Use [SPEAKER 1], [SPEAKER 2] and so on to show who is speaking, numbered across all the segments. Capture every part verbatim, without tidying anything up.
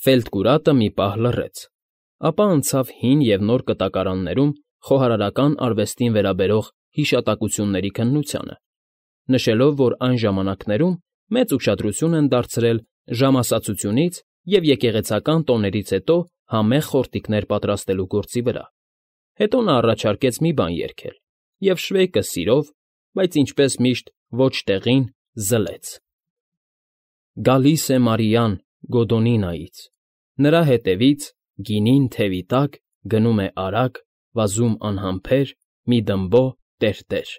[SPEAKER 1] Ֆելտկուրատը մի պահ լռեց, ապա անցավ հին և նոր կտակարաններում խոհարարական արվեստին վերաբերող հիշատակությունների քննությանը, նշելով, որ այն ժամանակներում մեծ ուշադրություն են դարձրել ժամասացությունից և եկեղեցական տոներից հետո համեղ խորտիկներ պատրաստելու գործի վրա, հետո նա առաջարկեց մի բան երգել, և Շվեյկը սիրով, բայց, ինչպես միշտ, ոչ տեղին զլեց. Գալիս է Մարիան Գոդոնինայից, նրա հետևից, գինին թևի տակ, գնում է արագ, վազում անհամբեր, մի դմբո տերտեր…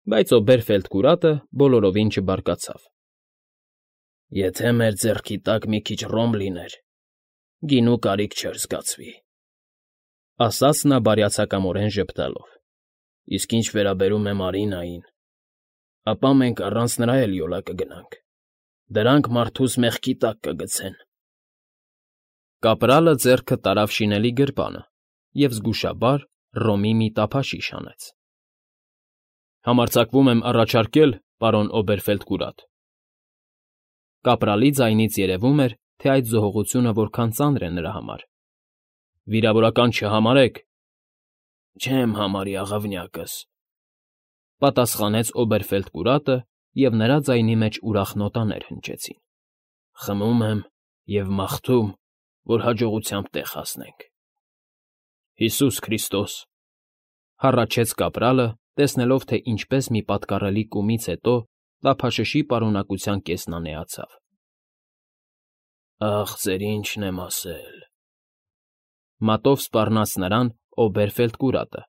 [SPEAKER 1] Բայց Օբերֆելդկուրատը բոլորովին չբարկացավ։ Եթե մեր ձեռքի տակ մի քիչ ռոմ լիներ, գինու կարիք չէր զգացվի, ֊ ասաց նա բարյացակամորեն ժպտալով, իսկ ինչ վերաբերում է Մարինային, ապա մենք առանց նրա էլ յոլա կգնանք, դրանք մարդուս մեղքի տակ կգցեն… Կապրալը ձեռքը տարավ շինելի գրպանը և զգուշաբար ռոմի մի տափաշիշ հանեց։ ֊ Համարձակվում եմ առաջարկել, պարոն Օբերֆելդկուրատ… Կապրալի ձայնից երևում էր, թե այդ զոհողությունը որքան ծանր է նրա համար։ ֊ Վիրավորական չհամարեք… ֊ Չեմ համարի, աղավնյակս…֊ պատասխանեց Օբերֆելդկուրատը, և նրա ձայնի մեջ ուրախ նոտաներ հնչեցին։ ֊ Խմում եմ և մաղթում, որ հաջողությամբ տեղ հասնենք։ ֊ Հիսուս Քրիստոս…֊ հառաչեց կապրալը, տեսնելով, թե ինչպես մի պատկառելի կումից հետո տափաշշի պարունակության կեսն անեացավ։ ֊ Ախ, ձեր ինչն եմ ասել…֊ մատով սպառնաց նրան Օբերֆելդկուրատը,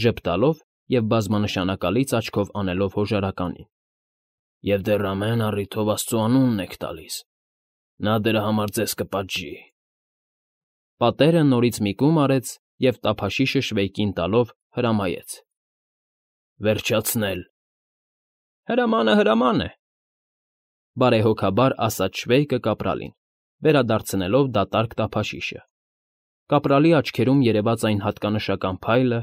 [SPEAKER 1] ժպտալով և բազմանշանակալից աչքով անելով հոժարականին։ ֊ Եվ դեռ ամեն առիթով աստծու անունն եք տալիս… Նա դրա համար ձեզ կպատժի… Պատերը նորից մի կում արեց և տափաշիշը Շվեյկին տալով հրամայեց. ֊ Վերջացնել… ֊ Հրամանը հրաման է…֊ բարեհոգաբար ասաց Շվեյկը կապրալին, վերադարձնելով դատարկ տափաշիշը. կապրալի աչքերում երևաց այն հատկանշական փայլը,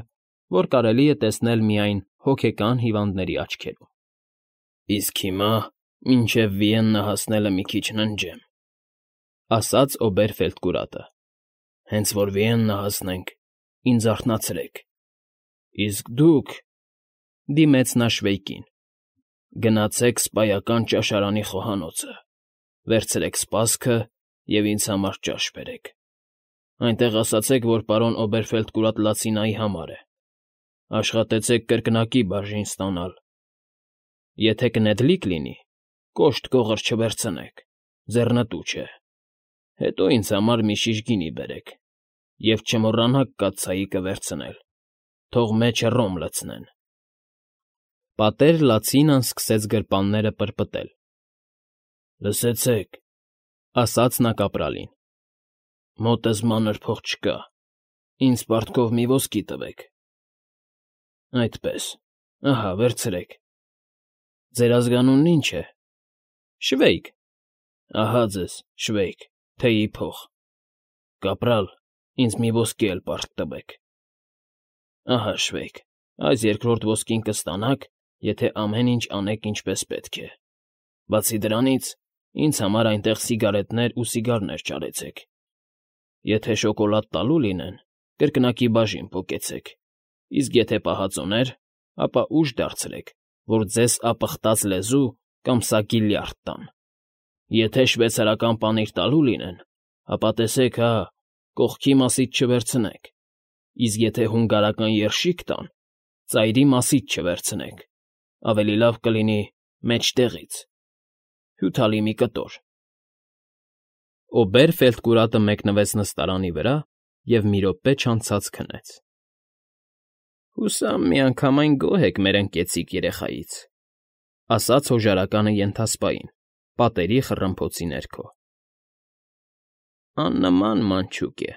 [SPEAKER 1] որ կարելի է տեսնել միայն հոգեկան հիվանդների աչքերում։ ֊ Իսկ հիմա, մինչև Վիեննա հասնելը մի քիչ ննջեմ…֊ ասաց Օբերֆելդկուրատը։ ֊ Հենց որ Վիեննա հասնենք, ինձ արթնացրեք… Իսկ դուք…֊ դիմեց նա Շվեյկին…֊ Գնացեք սպայական ճաշարանի խոհանոցը, վերցրեք սպասքը և ինձ համար ճաշ բերեք… Այնտեղ ասացեք, որ պարոն Օբերֆելդկուրատ լացինայի համար է… Աշխատեցեք կրկնակի բաժին ստանալ… Եթե կնետլիկ լինի, կոշտ կողր չվերցնեք, ձեռնտու չէ… Հետո ինձ համար մի շիշ գինի բերեք և չմոռանաք կաթսայիկը վերցնել, թող մեջը ռոմ լցնեն… Պատեր Լացինան սկսեց գրպանները պրպտել։ ֊ Լսեցեք…֊ ասաց նա կապրալին…֊ Մոտս մանր փող չկա, ինձ պարտքով մի ոսկի տվեք… Այդպես… Ահա, վերցրեք… Ձեր ազգանունն ի՞նչ է։ ֊ Շվեյկ… Ահա ձեզ, Շվեյկ, թեյի փող… Կապրալ, ինձ մի ոսկի էլ պարտք տվեք… Ահա, Շվեյկ, այս երկրորդ ոսկին կստանաք, եթե ամեն ինչ անեք ինչպես պետք է… Բացի դրանից, ինձ համար այնտեղ սիգարետներ ու սիգարներ ճարեցեք… Եթե շոկոլադ տալու լինեն, կրկնակի բաժին պոկեցեք, իսկ եթե պահածոներ, ապա ուժ դարձրեք, որ ձեզ ապխտած լեզու կամ սակի լյարդ տան… Եթե շվեյցարական պանիր տալու լինեն, ապա տեսեք հա, կողքի մասից չվերցնեք, իսկ եթե հունգարական երշիկ տան, ծայրի մասից չվերցնեք, ավելի լավ կլինի մեջտեղից… Հյութալի մի կտոր… Օբերֆելդկուրատը մեկնվեց նստարանի վրա և մի րոպե չանցած քնեց։ ֊ Հուսամ միանգամայն գոհ եք մեր ընկեցիկ երեխայից, ֊ ասաց հոժարականը ենթասպային, պատերի խռմփոցի ներքո։ ֊ Աննման մանչուկ է…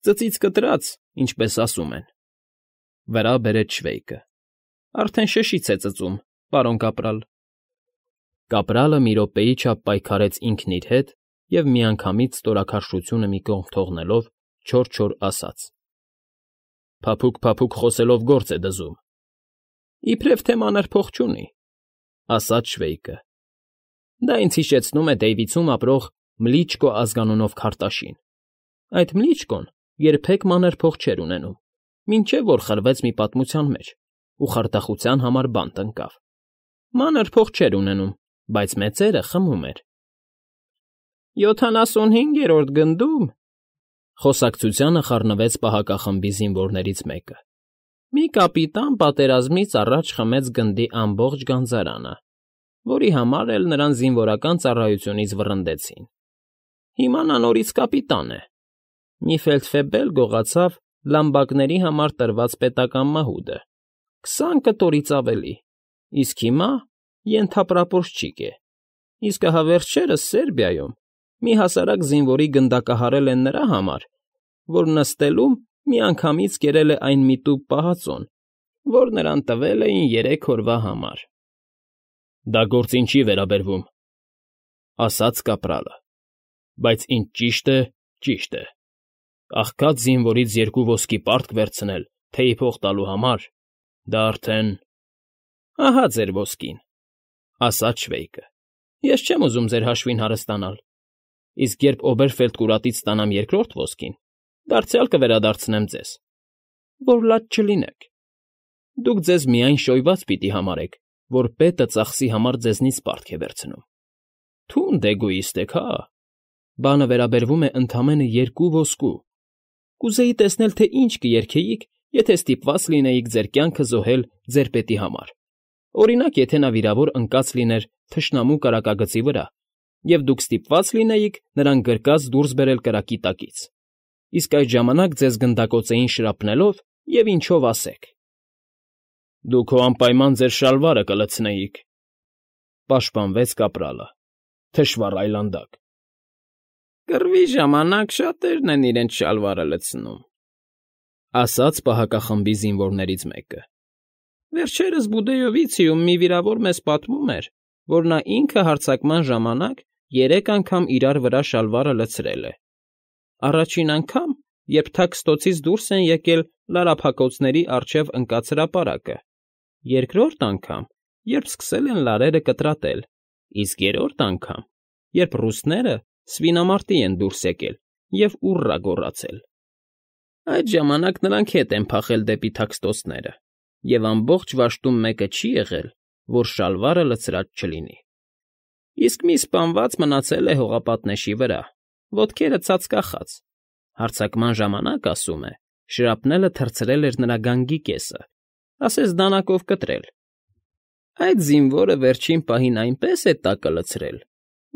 [SPEAKER 1] Ծծից կտրած, ինչպես ասում են…֊ վրա բերեց Շվեյկը։ ֊ Արդեն շշից է ծծում, պարոն կապրալ… Կապրալը մի րոպեի չափ պայքարեց ինքն իր հետ և միանգամից ստորաքարշությունը մի կողմ թողնելով չոր֊չոր ասաց. ֊ Փափուկ֊փափուկ խոսելով գործ է դզում… ֊ Իբրև թե մանր փող չունի, ֊ ասաց Շվեյկը։ ֊ Դա ինձ հիշեցնում է Դեյվիցում ապրող Մլիչկո ազգանունով քարտաշին։ Այդ Մլիչկոն երբեք մանր փող չէր ունենում, մինչև որ խրվեց մի պատմության մեջ ու խարդախության համար բանտ ընկավ։ Մանր փող չէր ունենում, բայց մեծերը խմում էր։ «Յոթանասունհինգերորդ գնդում,֊ խոսակցությանը խառնվեց պահակախմբի զինվորներից մեկը,֊ մի կապիտան պատերազմից առաջ խմեց գնդի ամբողջ գանձարանը, որի համար էլ նրան զինվորական ծառայությունից վռնդեցին։ Հիմա նա նորից կապիտան է։ Մի ֆելդֆեբել գողացավ լամբակների համար տրված պետական մահուդը, քսան կտորից ավելի, իսկ հիմա ենթապրապորչիկ է, իսկ ահա վերջերս Սերբիայում մի հասարակ զինվորի գնդակահարել են նրա համար, որ նստելում միանգամից կերել է այն միտուկ պահածոն, որ նրան տվել էին երեք օրվա համար»։ «Դա գործին չի վերաբերվում,֊ ասաց կապրալը,֊ բայց ինչ ճիշտ է, ճիշտ է. աղքատ զինվորից երկու ոսկի պարտք վերցնել թեյ փող տալու համար, դա արդեն…»։ «Ահա ձեր ոսկին,֊ ասաց Շվեյկը,֊ ես չեմ ուզում ձեր հաշվին հարստանալ, իսկ երբ Օբերֆելդկուրատից ստանամ երկրորդ ոսկին, դարձյալ կվերադարձնեմ ձեզ, որ լաց չլինեք։ Դուք ձեզ միայն շոյված պիտի համարեք, որ պետը ծախսի համար ձեզնից պարտք է վերցնում։ Թունդ էգոիստ եք, հա… Բանը վերաբերվում է ընդամենը երկու ոսկու։ Կուզեի տեսնել, թե ինչ կերգեիք, եթե ստիպված լինեիք ձեր կյանքը զոհել ձեր պետի համար, օրինակ, եթե նա վիրավոր ընկած լիներ թշնամու կրակագծի վրա, և դուք ստիպված լինեիք նրան գրկած դուրս բերել կրակի տակից, իսկ այդ ժամանակ ձեզ գնդակոծեին շրապնելով և ինչով ասեք։ Դուք հո անպայման ձեր շալվարը կլցնեիք,֊ պաշտպանվեց կապրալը, թշվառ այլանդակ։ «Կռվի ժամանակ շատերն են իրենց շալվարը լցնում,֊ ասաց պահակախմբի զինվորներից մեկը։ Վերջերս Բուդեյովիցիում մի վիրավոր մեզ պատմում էր, որ նա ինքը հարձակման ժամանակ երեք անգամ իրար վրա շալվարը լցրել է։ Առաջին անգամ, երբ թաքստոցից դուրս են եկել լարափակոցների առջև ընկած հրապարակը, երկրորդ անգամ, երբ սկսել են լարերը կտրատել, իսկ երրորդ անգամ, երբ ռուսները սվինամարտի են դուրս եկել և ուռա գոռացել։ Այդ ժամանակ նրանք ետ են փախել դեպի թաքստոցները, և ամբողջ վաշտում մեկը չի եղել, որ շալվարը լցրած չլինի։ Իսկ մի սպանված մնացել է հողապատնեշի վրա, ոտքերը ծածկախած, հարձակման ժամանակ, ասում է, շրապնելը թռցրել էր նրա գանգի կեսը, ասես դանակով կտրել։ Այդ զինվորը վերջին պահին այնպես է տակը լցրել,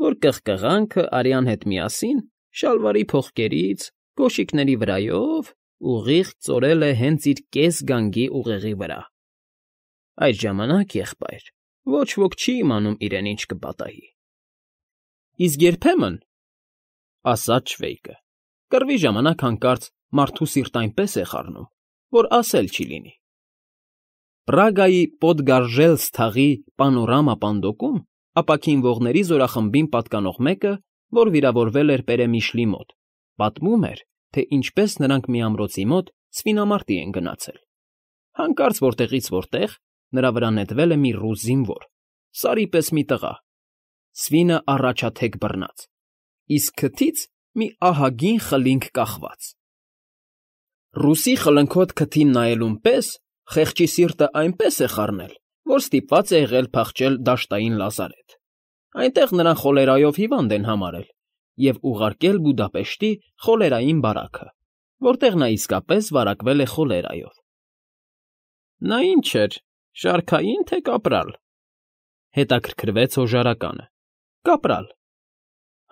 [SPEAKER 1] որ կղկղանքը արյան հետ միասին շալվարի փողկերից, կոշիկների վրայով ուղիղ ծորել է հենց իր կես գանգի ուղեղի վրա։ Այդ ժամանակ, եղբայր, ոչ ոք չի իմանում իրեն ինչ կպատահի։ Իսկ երբեմն, ասաց Շվեյկը, կռվի ժամանակ հանկարծ մարդու սիրտ այնպես է խառնում, որ ասել չի լինի։ Պրագայի Պոդգարժելս թաղի պանորամա պանդոկում ապաքինվողների զորախմբին պատկանող մեկը, որ վիրավորվել էր Պերեմիշլի մոտ, պատմում էր, թե ինչպես նրանք մի ամրոցի մոտ սվինամարտի են գնացել։ Հանկարծ որտեղից որտեղ նրա վրա նետվել է մի ռուս զինվոր, սարի պես մի տղա, սվինը առաջաթեք բռնած, իսկ քթից մի ահագին խլինք կախված։ Ռուսի խլնքոտ քթին նայելուն պես խեղճի սիրտը այնպես է խառնել, որ ստիպված է եղել փախչել դաշտային լազարեթ։ Այնտեղ նրան խոլերայով հիվանդ են համարել և ուղարկել Բուդապեշտի խոլերային բարաքը, որտեղ նա իսկապես վարակվել է խոլերայով։ Նա ինչ էր, շարքայի՞ն, թե կապրալ,֊ հետաքրքրվեց հոժարականը։ Կապրալ,֊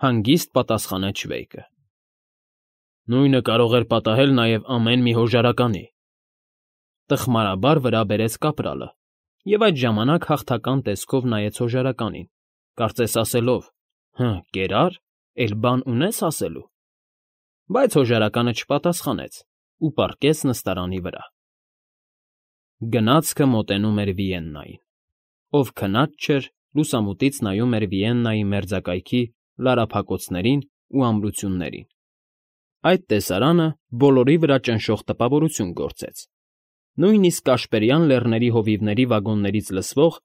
[SPEAKER 1] հանգիստ պատասխանեց Շվեյկը։ Նույնը կարող էր պատահել նաև ամեն մի հոժարականի,֊ տխմարաբար վրա բերեց կապրալը և այդ ժամանակ հաղթական տեսքով նայեց հոժարականին, կարծես ասելով. «Հը, կերա՞ր, էլի բան ունե՞ս ասելու»։ Բայց հոժարականը չպատասխանեց ու պառկեց նստարանի վրա։ Գնացքը մոտենում էր Վիեննային։ Ով քնած չէր, լուսամուտից նայում էր Վիեննայի մերձակայքի լարափակոցներին ու ամրություններին։ Այդ տեսարանը բոլորի վրա ճնշող տպավորություն գործեց։ Նույնիսկ Կաշպերյան Լեռների հովիվների վագոններից լսվող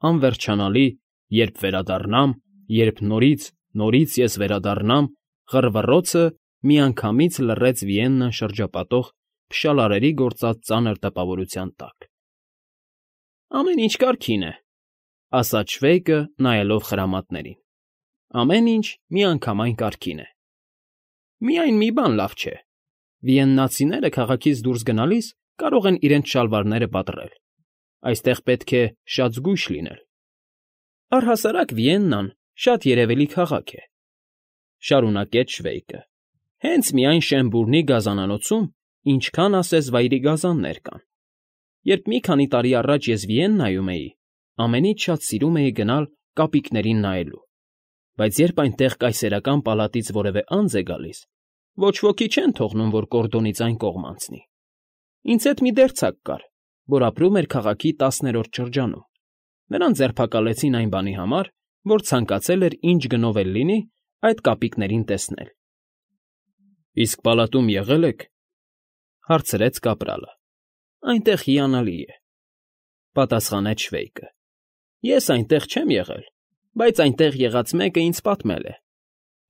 [SPEAKER 1] անվերջանալի «Երբ վերադառնամ, երբ նորից, Նորից ես վերադառնամ, ղռվռոցը միանգամից լռեց Վիեննան շրջապատող փշալարերի գործած ծանր տպավորության տակ։ ֊ Ամեն ինչ կարգին է,֊ ասաց Շվեյկը, նայելով խրամատներին։ ֊ Ամեն ինչ միանգամայն կարգին է… Միայն մի բան լավ չէ. վիեննացիները քաղաքից դուրս գնալիս կարող են իրենց շալվարները պատռել… Այստեղ պետք է շատ զգույշ լինել… Առհասարակ Վիեննան շատ երևելի քաղաք է,֊ շարունակեց Շվեյկը,֊ հենց միայն Շեմբուրնի գազանանոցում ինչքան ասես վայրի գազաններ կան… Երբ մի քանի տարի առաջ ես Վիեննայում էի, ամենից շատ սիրում էի գնալ կապիկներին նայելու, բայց երբ այնտեղ կայսերական պալատից որևէ անձ է գալիս, ոչ ոքի չեն թողնում, որ կորդոնից այն կողմ անցնի… Ինձ հետ մի դերձակ կար, որ ապրում էր քաղաքի տասներորդ շրջանում. նրան ձերբակալեցին այն բանի համար, որ ցանկացել էր ինչ գնով էլ լինի այդ կապիկներին տեսնել։ ֊ Իսկ պալատում եղե՞լ եք,֊ հարցրեց կապրալը։ ֊ Այնտեղ հիանալի է,֊ պատասխանեց Շվեյկը։ ֊ Ես այնտեղ չեմ եղել, բայց այնտեղ եղած մեկը ինձ պատմել է.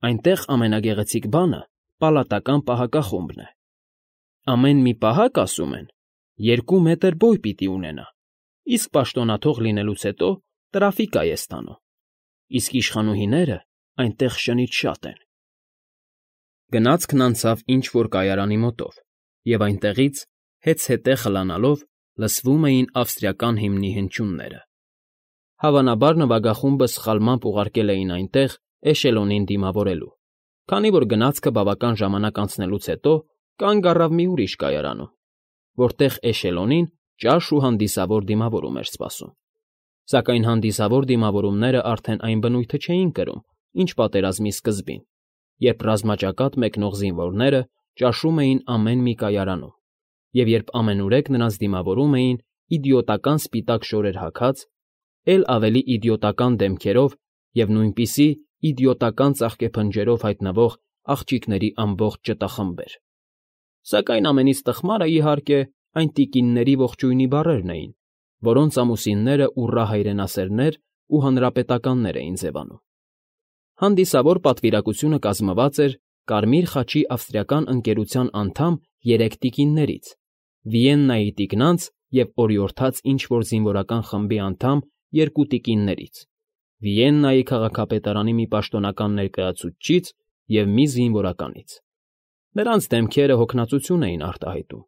[SPEAKER 1] այնտեղ ամենագեղեցիկ բանը պալատական պահակախումբն է… Ամեն մի պահակ, ասում են, երկու մետր բոյ պիտի ունենա, իսկ պաշտոնաթող լինելուց հետո տրաֆիկա է ստանում, իսկ իշխանուհիները այնտեղ շնից շատ են… Գնացքն անցավ ինչ֊որ կայարանի մոտով, և այնտեղից, հեծհետե խլանալով, լսվում էին ավստրիական հիմնի հնչյունները… Հավանաբար նվագախումբը սխալմամբ ուղարկել էին այնտեղ էշելոնին դիմավորելու, քանի որ գնացքը բավական ժամանակ անցնելուց հետո կանգ առավ մի ուրիշ կայարանում, որտեղ էշելոնին ճաշ ու հանդիսավոր դիմավորում էր սպասում… Սակայն հանդիսավոր դիմավորումները արդեն այն բնույթը չէին կրում, ինչ պատերազմի սկզբին, երբ ռազմաճակատ մեկնող զինվորները ճաշում էին ամեն մի կայարանում, և երբ ամենուրեք նրանց դիմավորում էին իդիոտական սպիտակ շորեր հագած, էլ ավելի իդիոտական դեմքերով և նույնպիսի իդիոտական ծաղկեփնջերով հայտնվող աղջիկների ամբողջ ճտախմբեր… Սակայն ամենից տխմարը, իհարկե, այն տիկինների ողջույնի բառերն էին, որոնց ամուսինները ուռա հայրենասերներ ու հանրապետականներ էին ձևանում… Հանդիսավոր պատվիրակությունը կազմված էր Կարմիր խաչի ավստրիական ընկերության անդամ երեք տիկիններից, Վիեննայի տիկնանց և օրիորդաց ինչ֊որ զինվորական խմբի անդամ երկու տիկիններից, Վիեննայի քաղաքապետարանի մի պաշտոնական ներկայացուցչից և մի զինվորականից… Նրանց դեմքերը հոգնածություն էին արտահայտում…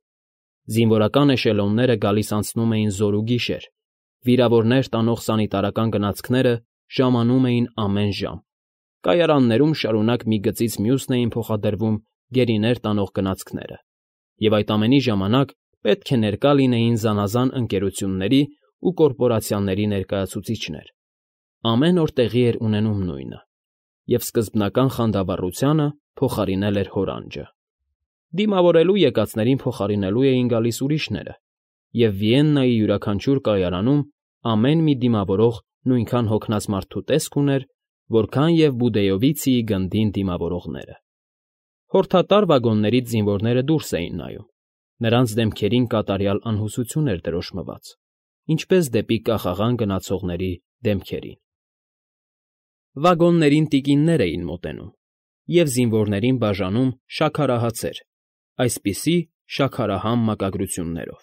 [SPEAKER 1] Զինվորական էշելոնները գալիս֊անցնում էին զօր ու գիշեր, վիրավորներ տանող սանիտարական գնացքները ժամանում էին ամեն ժամ, կայարաններում շարունակ մի գծից մյուսն էին փոխադրվում գերիներ տանող գնացքները, և այդ ամենի ժամանակ պետք է ներկա լինեին զանազան ընկերությունների ու կորպորացիաների ներկայացուցիչներ… Ամեն օր տեղի էր ունենում նույնը, և սկզբնական խանդավառությանը փոխարինել էր հորանջը… Դիմավորելու եկածներին փոխարինելու էին գալիս ուրիշները, և Վիեննայի յուրաքանչյուր կայարանում ամեն մի դիմավորող նույնքան հոգնած մարդու տեսք ուներ, որքան և Բուդեովիցիի գնդին դիմավորողները… Հորդատար վագոններից զինվորները դուրս էին նայում, նրանց դեմքերին կատարյալ անհուսություն էր դրոշմված, ինչպես դեպի կախաղան գնացողների դեմքերին… Վագոններին տիկիններ էին մոտենում և զինվորներին բաժանում շաքարահացեր, այսպիսի շաքարահամ մակագրություններով.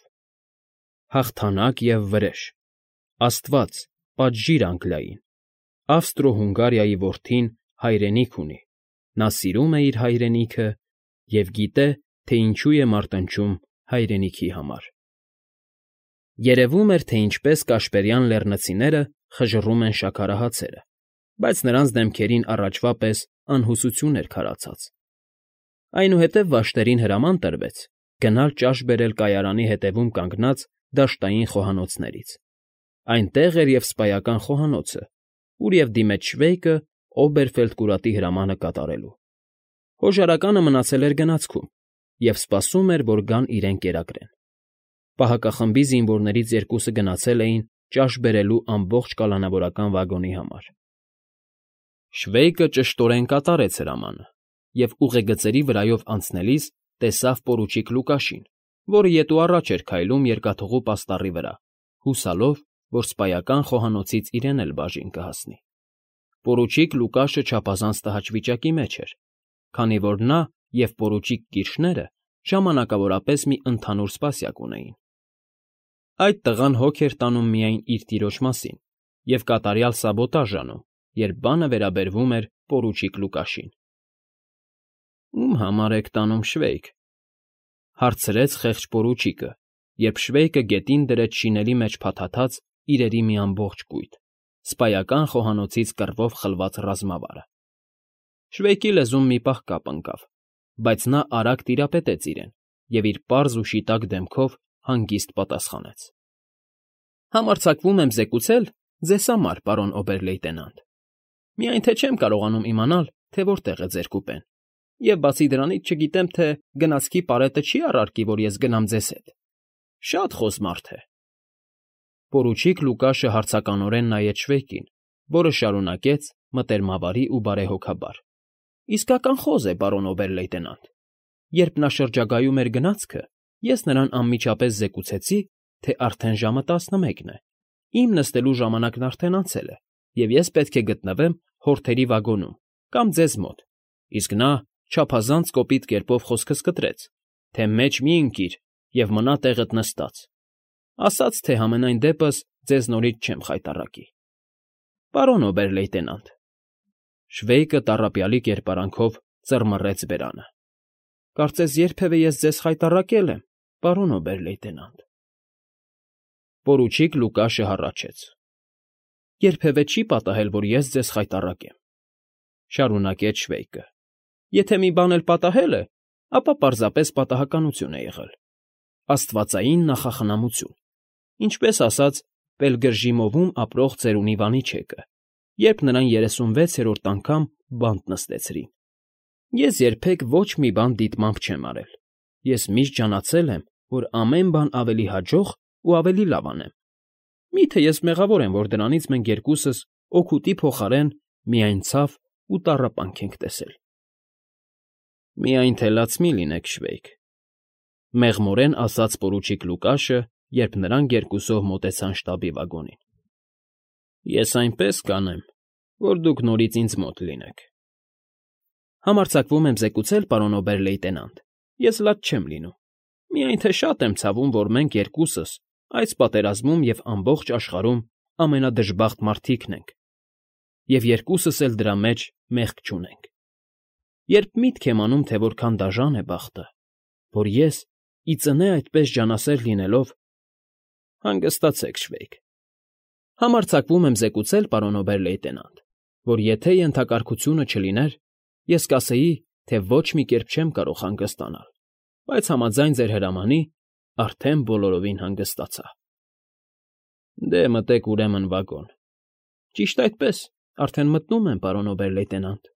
[SPEAKER 1] «Հաղթանակ և վրեժ», «Աստված, պատժիր Անգլիային», «Ավստրո֊Հունգարիայի որդին հայրենիք ունի, նա սիրում է իր հայրենիքը և գիտե, թե ինչու է մարտնչում հայրենիքի համար»… Երևում էր, թե ինչպես կաշպերյան լեռնցիները խժռում են շաքարահացերը, բայց նրանց դեմքերին առաջվա պես անհուսություն էր քարացած… Այնուհետև վաշտերին հրաման տրվեց գնալ ճաշ բերել կայարանի հետևում կանգնած դաշտային խոհանոցներից… Այնտեղ էր և սպայական խոհանոցը, ուր և դիմեց Շվեյկը Օբերֆելդկուրատի հրամանը կատարելու… Հոժարականը մնացել էր գնացքում և սպասում էր, որ գան իրեն կերակրեն… Պահակախմբի զինվորներից երկուսը գնացել էին ճաշ բերելու ամբողջ կալանավորական վագոնի համար… Շվեյկը ճշտորեն կատարեց հրամանը և ուղեգծերի վրայով անցնելիս տեսավ պորուչիկ Լուկաշին, որը ետ ու առաջ էր քայլում երկաթուղու պաստառի վրա, հուսալով, որ սպայական խոհանոցից իրեն էլ բաժին կհասնի… Պորուչիկ Լուկաշը չափազանց տհաճ վիճակի մեջ էր, քանի որ նա և պորուչիկ Կիրշները ժամանակավորապես մի ընդհանուր սպասյակ ունեին։ Այդ տղան հոգ էր տանում միայն իր տիրոջ մասին և կատարյալ սաբոտաժ անում, երբ բանը վերաբերվում էր պորուչիկ Լուկաշին։ ֊ Ո՞ւմ համար եք տանում շվեյք,֊ հարցրեց խեղճ պորուչիկը, երբ շվեյկը գետին դրեց շինելի մեջ փաթաթած իրերի մի ամբողջ կույտ, սպայական խոհանոցից կռվով խլված ռազմավարը։ Շվեյկի լեզուն մի պահ կապ ընկավ, բայց նա արագ տիրապետեց իրեն և իր պարզ ու շիտակ դեմքով հանգիստ պատասխանեց. ֊ Համարձակվում եմ զեկուցել ձեզ համար, պարոն օբեր֊լեյտենանտ, միայն թե չեմ կարողանում իմանալ, թե որտեղ է ձեր կուպեն, և բացի դրանից չգիտեմ, թե գնացքի պարետը չի՞ առարկի, որ ես գնամ ձեզ հետ. շատ խոզ մարդ է։ Պորուչիկ Լուկաշը հարցականորեն նայեց շվեյկին, որը շարունակեց մտերմավարի ու բարեհոգաբար. ֊ Իսկական խոզ է, պարոն օբեր֊լեյտենանտ. երբ նա շրջագայում էր գնացքը, ես նրան անմիջապես զեկուցեցի, թե արդեն ժամը տասնմեկն է, իմ նստելու ժամանակն արդեն անցել է, և ես պետք է գտնվեմ հորթերի վագոնում կամ ձեզ մոտ, իսկ նա չափազանց կոպիտ կերպով խոսքս կտրեց, թե մեջ մի՛ ընկիր և մնա տեղդ նստած, ասաց, թե համենայն դեպս ձեզ նորից չեմ խայտառակի։ ֊ Պարոն օբեր֊լեյտենանտ,֊ շվեյկը տառապյալի կերպարանքով ծռմռեց բերանը,֊ կարծես երբևէ ես ձեզ խայտառակե՞լ եմ, պարոն օբեր֊լեյտենանտ։ Պորուչիկ Լուկաշը հառաչեց. ֊ Երբևէ չի պատահել, որ ես ձեզ խայտառակեմ,֊ շարունակեց շվեյկը,֊ եթե մի բան էլ պատահել է, ապա պարզապես պատահականություն է եղել, աստվածային նախախնամություն, ինչպես ասաց Պելգրժիմովում ապրող ծերունի Վանիչեկը, երբ նրան երեսունվեցերորդ անգամ բանտ նստեցրին։ Ես երբեք ոչ մի բան դիտմամբ չեմ արել, ես միշտ ջանացել եմ, որ ամեն բան ավելի հաջող ու ավելի լավ անեմ։ Մի՞թե ես մեղավոր եմ, որ դրանից մենք երկուսս օգուտի փոխարեն միայն ցավ ու տառապանք ենք տեսել։ ֊ Միայն թե լաց մի՛ լինեք, շվեյք,֊ մեղմորեն ասաց պորուչիկ Լուկաշը, երբ նրանք երկուսով մոտեցան շտաբի վագոնին։ ֊ Ես այնպես կանեմ, որ դուք նորից ինձ մոտ լինեք։ ֊ Համարձակվում եմ զեկուցել, պարոն օբեր֊լեյտենանտ, ես լաց չեմ լինում, միայն թե շատ եմ ցավում, որ մենք երկուսս այս պատերազմում և ամբողջ աշխարհում ամենադժբախտ մարդիկն ենք, և երկուսս էլ դրա մեջ մեղք չունենք։ Երբ միտք եմ անում, թե որքան դաժան է բախտը, որ ես, ի ծնե այդպես ջանասեր լինելով… Հանգստացեք, շվեյք, համարձակվում եմ զեկուցել, պարոն օբեր֊լեյտենանտ, որ եթե ենթակարգությունը չլիներ, ես կասեի, թե ոչ մի կերպ չեմ կարող հանգստանալ, բայց համաձայն ձեր հրամանի արդեն բոլորովին հանգստացա։ ֊ Դե, մտեք ուրեմն վագոն։ ֊ Ճիշտ այդպես, արդեն մտնում եմ, պարոն օբեր֊լեյտենանտ։